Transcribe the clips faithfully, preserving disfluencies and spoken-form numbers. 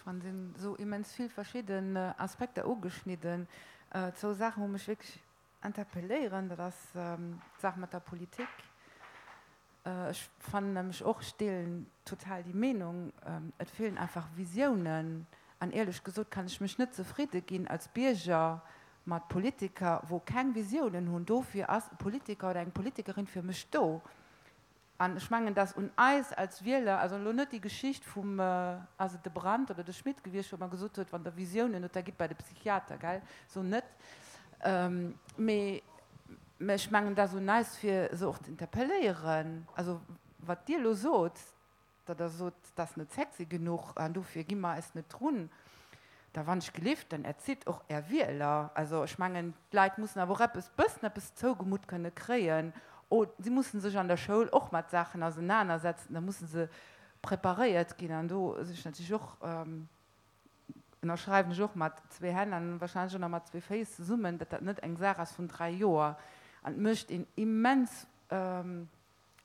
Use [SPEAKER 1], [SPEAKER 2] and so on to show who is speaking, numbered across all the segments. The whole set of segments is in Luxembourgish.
[SPEAKER 1] Fannen, sinn esou immens vill verschidden Aspekter ugeschnidden. Zwou Saachen, wou mech wierklech interpelléieren, dat ass d'Saach mat der Politik. Ech fannen nämlech och, ech deelen total déi Meenung, et feelen einfach Visiounen. An éierlech gesot kann ech mech net zefridde ginn als Bierger mat Politiker, wou keng Visiounen hunn. Dofir ass e Politiker oder eng Politikerin fir mech do. An ech mengen, dass un eis als Wieler, also elo net déi Geschicht vum, ass et de Brandt oder de Schmit gewiescht, wou ëmmer gesot huet, wann Der Visiounen hutt, da gitt bei de Psychiater, gell, sou net. Mee ech mengen, dass un eis, fir se och ze interpelléieren. Also wat Dir elo sot, datt Der sot, dat ass net sexy genuch an dofir gi mer eis net drun, da wann ech gelift, dann erzitt och Är Wieler. Also ech mengen, d'Leit mussen awer och eppes, bëssen eppes zougemutt kënne kréien. O si mussen sech an der Schoul och mat Saachen ausenanersetzen, da musse se preparéiert ginn. An do sinn ech natierlech och, ënnerschreiwen ech och mat zwee Hänn an wahrscheinlech och nach mat zwee Féiss zesummen, datt dat net eng Saach ass vun dräi Joer. An et mécht een immens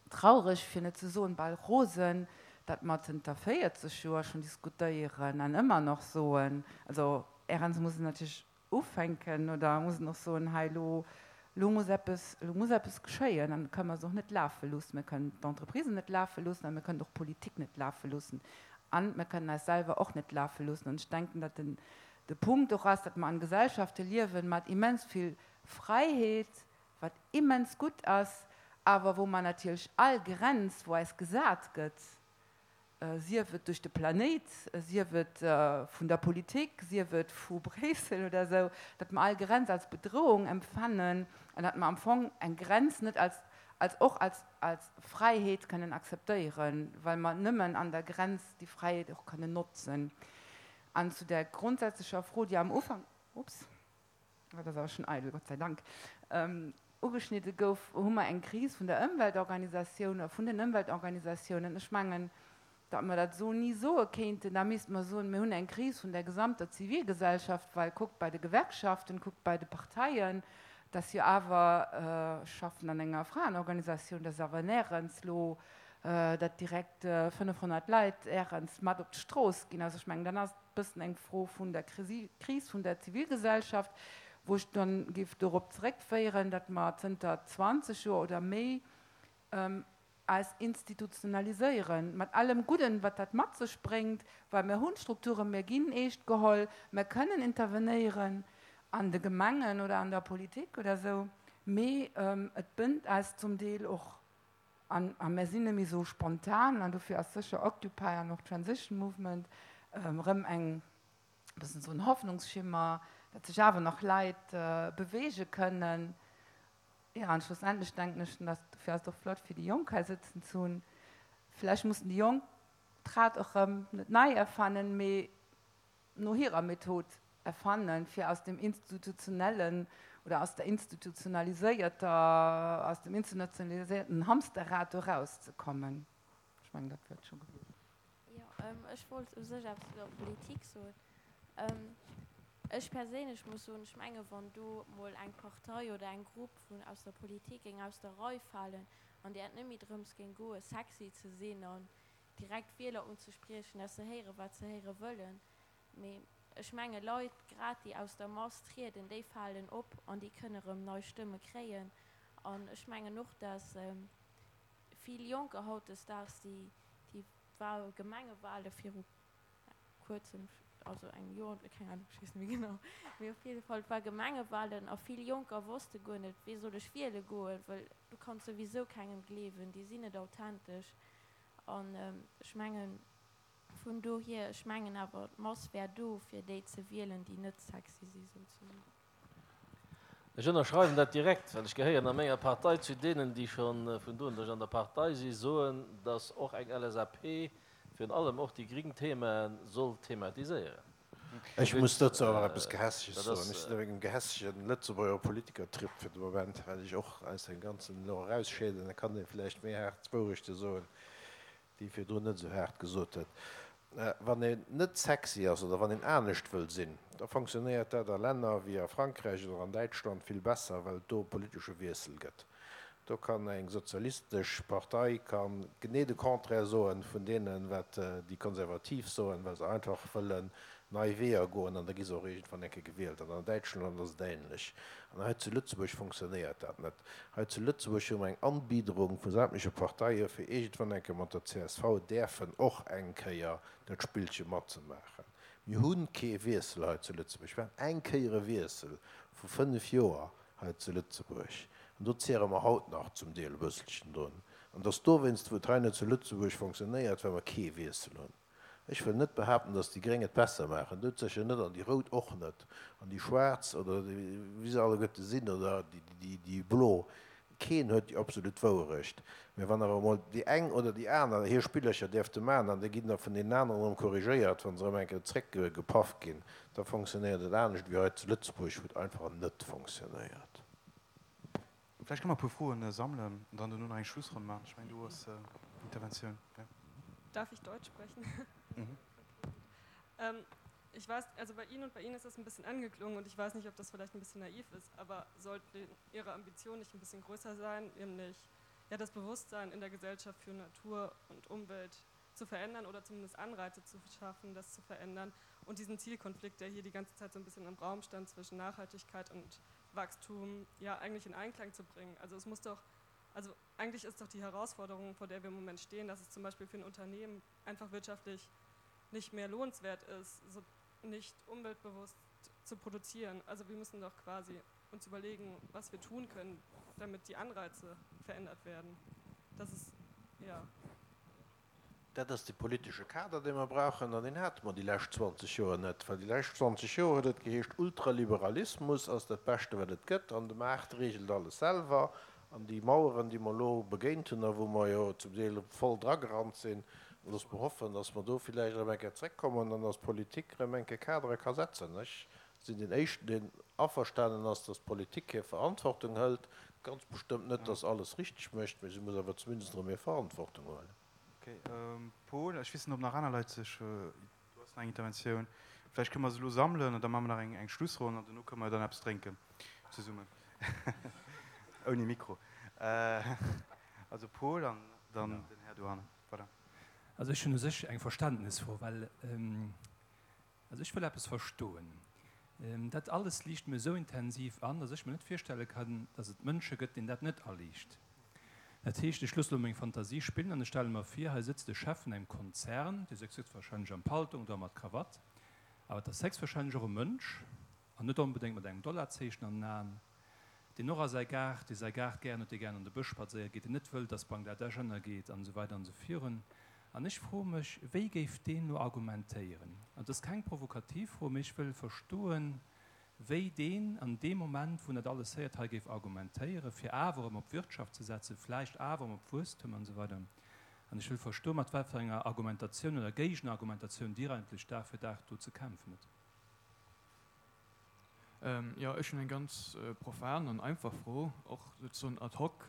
[SPEAKER 1] traureg, fir net ze soen bal rosen, datt mer zënter véierzeg Joer schonn diskutéieren an ëmmer nach soen, also ärenz muss et natierlech ufänken oder muss en och soen, hei elo, elo muss eppes, elo muss eppes geschéien an kënnen mer se och net lafe loossen. Mir kënnen d'Entreprisen net lafe loossen a mir kënnen och d'Politik net lafe loossen a mir kënnen eis selwer och net lafe loossen. An ech denken, datt den, de Punkt och ass, datt mer an Gesellschafte liewen mat immens vill Fräiheet, wat immens gutt ass, awer wou mer natierlech all Grenz, wou eis gesat gëtt, sief et duerch de Planéit, sief et vun der Politik, sief et vu Bréissel oder esou, datt mer all Grenz als Bedrohung empfannen an datt mer am Fong eng Grenz net als, als och als, als Fräiheet kënnen akzeptéieren, well mer nëmmen an der Grenz déi Fräiheet och kënnen notzen. An zu der grondsätzlecher Fro, déi am Ufank, ups, dat ass awer schonn eidel, Gott sei Dank, ugeschnidde gouf, hu mer eng Kris vun der Ëmweltorganisatioun, vun den Ëmweltorganisatiounen. Ech mengen, datt mer dat esou ni soe kéinten. Da misste mer soen, mir hunn eng Kris vun der gesamter Zivilgesellschaft, well kuckt bei de Gewerkschaften, kuckt bei de Parteien, dass jo awer, ech schaffen an enger Fraenorganisatioun, dass awer närens elo datt direkt fënnefhonnert Leit ärens mat op d'Strooss ginn. Also ech mengen, dann ass et e bëssen eng Fro vun der Kris vun der Zivilgesellschaft, wou ech dann géif dorop zeréckféieren, datt mer zënter zwanzeg Joer oder méi eis institutionaliséieren, mat allem Gudden, wat dat mat sech bréngt, well mir hunn Strukturen, mir ginn eescht geholl, mir kënnen intervenéieren an de Gemengen oder an der Politik oder esou, mee et bënnt eis zum Deel och an a mir sinn net méi esou spontan an dofir ass sécher Occupy an och Transition Movement erëm eng e bëssen esou en Hoffnungsschimmer, datt sech awer nach Leit beweege kënnen. Jo, an schlussendlech denken ech, dass, dofir ass et och flott, fir déi Jonk hei sëtzen ze hunn, vläicht mussen déi Jonk d'Rad och erëm net nei erfannen, mee no hirer Method erfannen, fir aus dem institutionellen oder aus der institutionaliséierter, aus dem institutionaliséierten Hamsterrad do erauszekommen. Ech mengen, dat wär et scho gewiescht.
[SPEAKER 2] Jo, ech wollt u sech eppes zu der Politik soen. Ech perséinlech muss soen, ech menge wann do mol eng Partei oder eng Grupp vun aus der Politik géing aus der Rei falen an där et net méi drëms géing goen, sexy ze sinn an direkt d'Wieler unzespriechen, dass se héieren, wat se héiere wëllen, mee ech menge Leit, grad déi aus der Mass trieden, déi falen op an déi kënne rëm nei Stëmme kréien. An ech mengen och, dass vill Jonker hautdesdaags, déi déi Gemengewale viru kuerzem, also engem Joer, keng Ahnung, ech weess net méi genau, mee op jidde Fall, et war Gemengewahlen a vill Jonker wosste guer net, wee soll ech wiele goen, well du kanns souwisou kengem gleewen, déi sinn net authentesch. An ech mengen, vun dohier, ech mengen awer, d'Mass wär do, fir déi ze wielen, déi net sexy si souzesoen.
[SPEAKER 3] Ech ënnerschreiwen dat direkt, well ech gehéieren a menger Partei zu deenen, déi scho vun do un, datt ech an der Partei si, soen, datt och eng L S A P virun allem och déi gring Themae soll thematiséieren.
[SPEAKER 4] Ech muss dozou awer eppes Gehässeges soen. Ech sinn op engem gehässegen Lëtzebuerger Politikertrip fir de Moment, well ech och aus dem Ganzen elo erausscheeden. Da kann ee vläicht méi haart d'Wourechte soen, déi ee virdrun net esou haart gesot huet. Wann een net sexy ass oder wann een anescht wëll sinn, da fonctionnéiert dat a Länner wéi a Frankräich oder an Däitschland vill besser, well et do e politesche Wiessel gëtt. Do kann eng sozialistesch Partei kann genee de Contraire soen vun deenen, wat déi Konservativ soen, well se einfach wëllen nei Weeër goen an da gi se och iergendwann eng Kéier gewielt. An an Däitschland ass et ähnlech. An hei zu Lëtzebuerg funktionéiert dat net. Hei zu Lëtzebuerg hu mer eng Anbiederung vu sämtleche Parteie fir iergendwann eng Kéier mat der csv däerfen och eng Kéier dat Spillche matzemaachen. Mir hu kee Wiessel hei zu Lëtzebuerg. Mir haten eng Kéier e Wiessel vu fënnef Joer hei zu Lëtzebuerg. An do zehre mer haut nach zum Deel e bësselchen drun. An et ass dowéinst, wou et hei net zu Lëtzebuerg fonctionnéiert, well mer kee Wiessel hunn. Ech wëll net behaapten, dass déi Gréng et besser maachen, doudsécher net, an déi Rout och net, an déi Schwaarz oder wéi se alleguerte sinn oder déi Blo. Keen huet déi absolut Wouerecht. Mä wann awer emol déi eng oder déi aner hir Spillercher däerfte maachen an da ginn der vun deenen aneren erëm korrigéiert, wa se erëm eng Kéier zréckgepaff ginn, da fonctionnéiert et anescht wéi hei zu Lëtzebuerg, wou et einfach net fonctionnéiert.
[SPEAKER 5] Vläicht kënne mer e puer Froen sammelen an dann dono nach eng Schlussronn maachen. Ech mengen, du hues Interventioun. Ja.
[SPEAKER 6] Darf ich Deutsch sprechen? Mhm. Ähm, ich weiß, also bei Ihnen und bei Ihnen ist das ein bisschen angeklungen und ich weiß nicht, ob das vielleicht ein bisschen naiv ist, aber sollte Ihre Ambition nicht ein bisschen größer sein, nämlich ja, das Bewusstsein in der Gesellschaft für Natur und Umwelt zu verändern oder zumindest Anreize zu schaffen, das zu verändern und diesen Zielkonflikt, der hier die ganze Zeit so ein bisschen im Raum stand zwischen Nachhaltigkeit und Wachstum, ja eigentlich in Einklang zu bringen. Also es muss doch, also eigentlich ist doch die Herausforderung, vor der wir im Moment stehen, dass es zum Beispiel für ein Unternehmen einfach wirtschaftlich nicht mehr lohnenswert ist, so nicht umweltbewusst zu produzieren. Also wir müssen doch quasi uns überlegen, was wir tun können, damit die Anreize verändert werden. Das ist, ja.
[SPEAKER 4] Dat ass de politesche Kader, dee mer brauchen, an deen hate mer déi lescht zwanzeg Joer net. Well déi lescht zwanzeg Joer huet et geheescht, Ultraliberalismus ass dat Beschte wat et gëtt an de Maart reegelt alles selwer. An déi Maueren, déi mer elo begéint hunn a wou mer jo zum Deel voll dragerannt sinn, loosse mer hoffen, datt mer do villäicht erëm eng Kéier zréckkommen an datt d'Politik erëm eng Kéier Kadere ka setzen. Ech sinn deen Éischten, deen averstanen ass, datt d'Politik hir Verantwortung hëlt. Ganz bestëmmt net, datt se alles richteg mécht, mä si muss awer zumindest erëm hir Verantwortung huelen.
[SPEAKER 5] Ok, Paul, ech weess net, ob nach aner Leit sech, du has nach eng Interventioun, vläicht kënne mer se elo sammelen an da maache mer nach eng, eng Schlussronn an dono kënne mer dann eppes drénken zesummen, ouni Mikro. Also Paul an dann den Här dohannen. Voilà.
[SPEAKER 7] Also ech hunn u sech eng Verständnesfro, well, also ech wëll eppes verstoen. Dat alles liicht mir esou intensiv an, dass ech mir net virstelle kann, dass et Mënsche gëtt, deenen dat net aliicht. Dat heescht, ech loosse elo meng Fantasie spinnen an ech stelle mer vir, hei sëtzt e Chef vun engem Konzern, dee sëtzt héchstwahrscheinlech am Paltong oder mat Krawatt, awer et ass héchstwahrscheinlech och e Mënsch, an net onbedéngt mat engem Dollarzeechen an den Aen, deen och a säi Gaart, dee säi Gaart gären huet, dee gären an de Bësch spadséiere geet, deen net wëllt, dass Bangladesch ënnergeet an esou weider an esou virun. An ech froe mech, wéi géif deen elo argumentéieren? An et ass keng provokativ Fro, mee ech wëll verstoen, wéi deen an deem Moment, wou en dat alles héiert, hei géif argumentéieren, fir awer erëm op Wirtschaft ze setzen, vläicht awer erëm op Wuesstum an esou weider. An ech wëll verstoen, mat wat fir enger Argumentatioun oder Géigenargumentatioun Dir eigentlech Dag fir Dag do ze kämpfen hutt.
[SPEAKER 8] Jo, ech hunn eng ganz profan an einfach Fro, och souzesoen ad hoc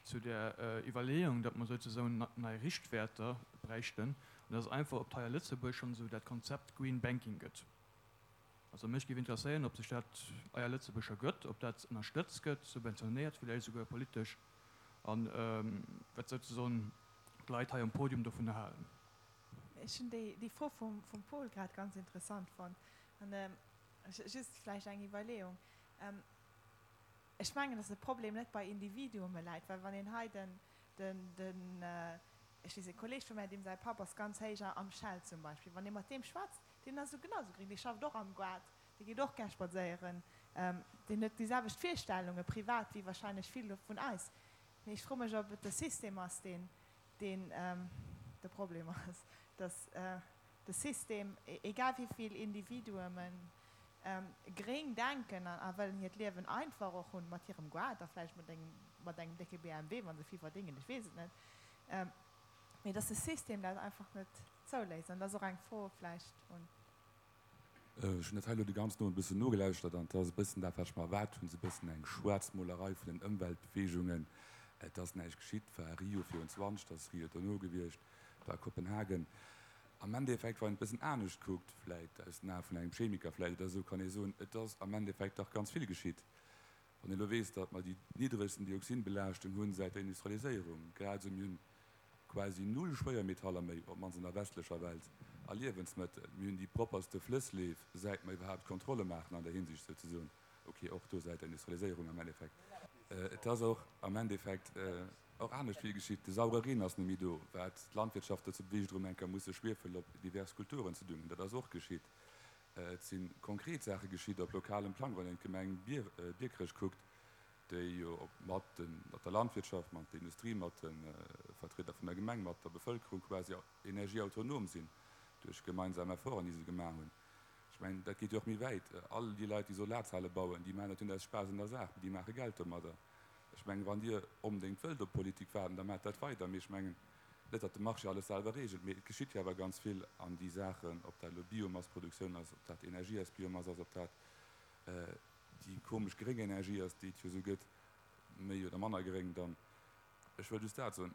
[SPEAKER 8] zu där Iwwerleeung, datt mer souzesoen nei Richtwäerter bräichten, an dat ass einfach, ob hei a Lëtzebuerg schonn esou dat Konzept Green Banking gëtt. Also mech géif interesséieren, ob sech dat hei a Lëtzebuerg scho gëtt, ob dat ënnerstëtzt gëtt, subventionéiert villäicht esouguer politesch, a wat souzesoen d'Leit hei um Podium dovunner halen.
[SPEAKER 9] Ech hunn déi Fro vum Paul grad ganz interessant fonnt. An just vläicht eng Iwwerleeung. Ech mengen, dass de Problem net bei Individuume läit, well wann een hei den, den, ech weess, e Kolleeg vu mär, deem säi Papp ass ganz héich am Shell zum Beispill, wann ee mat deem schwätzt, deen ass esou genau esou gréng, dee schafft och am Goart, dee geet och gär spadséieren, deen huet déi selwecht Virstellunge privat wéi wahrscheinlech vill vun eis. Mee ech froe mech, ob et de System ass, deen, deen de Problem ass, dass de System, egal wéi vill Individuumen gréng denken a wëllen hiert Liewen einfach och hunn, mat hirem Goart a vläicht mat engem, mat engem décke B M W, wa se vill verdéngen, ech weess et net, mee dass de System dat einfach net zouléisst. An dat ass och eng Fro vläicht un.
[SPEAKER 10] Ech hunn dat hei elo de ganzen Owend e bëssen nogelauschtert an et ass e bëssen dat, wat ech mer erwaart hunn, esou e bëssen eng Schwaarzmolerei vun den Ëmweltbeweegungen. Et ass näischt geschitt, war Rio virun zwanzeg, et ass Rio dono gewiescht, et war Kopenhagen. Am Endeffekt, wann een et e bëssen anescht kuckt, vläit aus den Ae vun engem Chemiker vläit oder esou, kann ee soen, et ass am Endeffekt dach ganz vill geschitt. Wann een elo weess, datt mer déi niddregsten Dioxinbelaaschtung hunn säit der Industrialiséierung, grad esou mir hunn quasi null Schwéiermetaller méi, op d'mannst an der westlecher Welt, a Liewensmëttel, mir hunn déi propperste Flëssleef säit mer iwwerhaapt Kontrolle maachen an där Hinsicht souzesoen, ok, och do säit der Industrialiséierung am Endeffekt. Et ass och am Endeffekt och anescht vill geschitt, de saure Reen ass net méi do, wat d'Landwirtschaft dozou beweegt erëm eng Kéier musse Schwiefel op divers Kulturen ze düngen, dat ass och geschitt. Et si konkret Saache geschitt op lokalem Plang, wann een d'Gemeng Biekerech kuckt, déi jo mat der Landwirtschaft, mat der Industrie, mat de Vertrieder vun der Gemeng, mat der Bevëlkerung quasi energieautonom sinn duerch gemeinsam Efforten, déi se gemaach hunn. Ech mengen, dat geet jo och méi wäit. All déi Leit, déi Solarzelle bauen, déi maachen dat jo net aus Spaass an der Saach, mee déi maache Geld domadder. Ech mengen, wann Dir onbedéngt wëllt op Politik waarden, da maacht dat weider. Mee ech mengen net, datt de Marché alles selwer reegelt, mee et geschitt jo awer ganz vill an déi Saachen, ob dat elo Biomassproduktioun ass, ob dat Energie aus Biomass ass, ob dat déi komesch gréng Energie ass, déi et jo esou gëtt, méi oder manner gréng dann. Ech wëll just dat soen,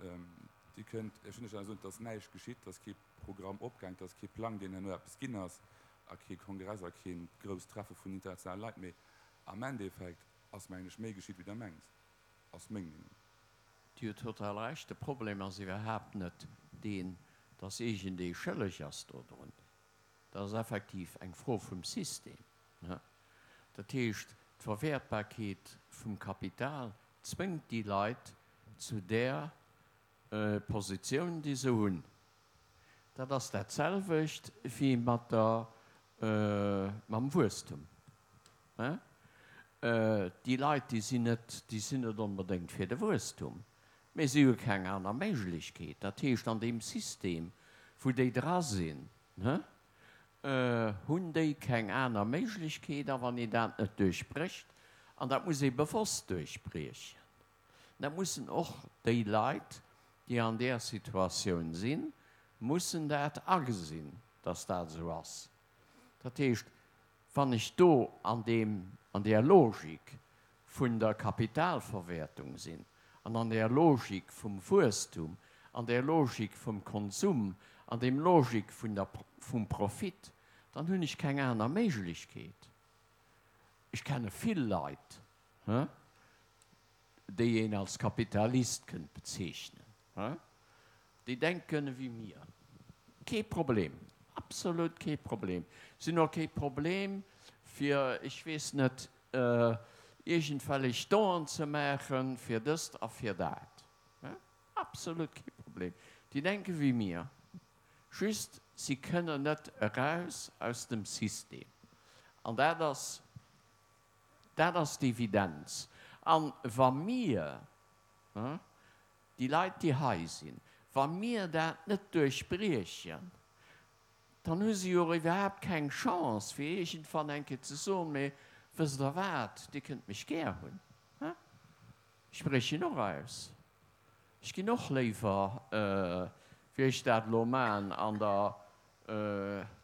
[SPEAKER 10] Dir kënnt Iech net soen, et ass näischt geschitt, et ass kee Programm opgaang, et ass kee Plang, deen herno eppes ginn ass, a kee Kongress a kee grousst Treffe vun internationale Leit, mee am Endeffekt ass, mengen ech, méi geschitt, wéi Der mengt. Ass meng Meenung.
[SPEAKER 11] Dir hutt total Recht. De Problem ass iwwerhaapt net deen, dass iergendee schëlleg ass dodrun. Dat ass effektiv eng Fro vum System. Dat heescht, d'Verwäertbarkeet vum Kapital zwéngt déi Leit zu där Positioun, déi se hunn. Dat ass dat selwecht wéi mat der, mam Wuesstum. Déi Leit, déi sinn net, déi sinn net onbedéngt fir de Wuesstum, mä si hu keng aner Méiglechkeet. Dat heescht, an deem System, wou déi dra sinn, hunn déi keng aner Méiglechkeet. A wann een dat net duerchbrécht, an dat muss ee bewosst duerchbriechen, dat mussen och déi Leit, déi an där Situatioun sinn, mussen dat agesinn, dass dat esou ass. Dat heescht, wann ech do an deem, an där Logik vun der Kapitalverwäertung sinn an an där Logik vum Wuesstum, an där Logik vum Konsum, an deem Logik vun der, vum Profit, dann hunn ech keng aner Méiglechkeet. Ech kenne vill Leit, déi een als Kapitalist kënnt bezeechnen, déi denken ewéi mir. Kee Problem, absolut kee Problem. Si hunn och kee Problem, fir, ech weess net, iergendwellech Donen ze maachen, fir dëst a fir dat. Absolut kee Problem. Déi denke wéi mir, just si kënnen net eraus aus dem System. An dat ass, dat ass d'Evidenz. A wa mir, déi Leit, déi hei sinn, wa mir dat net duerchbriechen, dann hu si jo och iwwerhaapt keng Chance, fir iergendwann eng Kéier ze soen, Mee wësst Der wat, Dir kënnt mech gär hunn, ech briechen och aus, ech ginn och léiwer, wéi ech dat elo maachen an der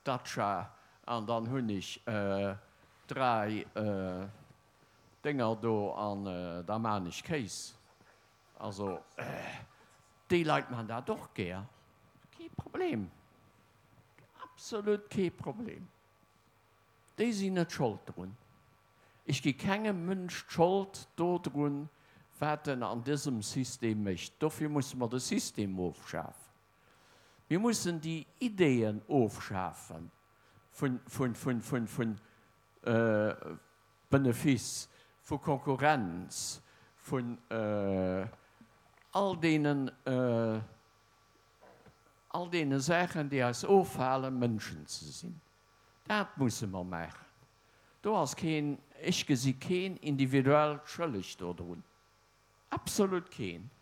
[SPEAKER 11] Datscha, an dann hunn ech dräi Dénger do an da maachen ech Kéis. Also déi Leit maachen dat och gär, kee Problem, absolut kee Problem. Déi sinn net Schold drun. Ech gi kengem Mënsch d'Schold dodrun, wat en an dësem System mécht. Dofir musse mer de System ofschafen. Mir mussen déi Ideeën ofschafe vun Benefice, vu Konkurrenz, vun all deenen, all deene Saachen, déi eis ofhalen, Mënschen ze sinn. Dat musse mer maachen. Do ass keen, ech gesi keen individuell schëlleg dodrun. Absolut keen.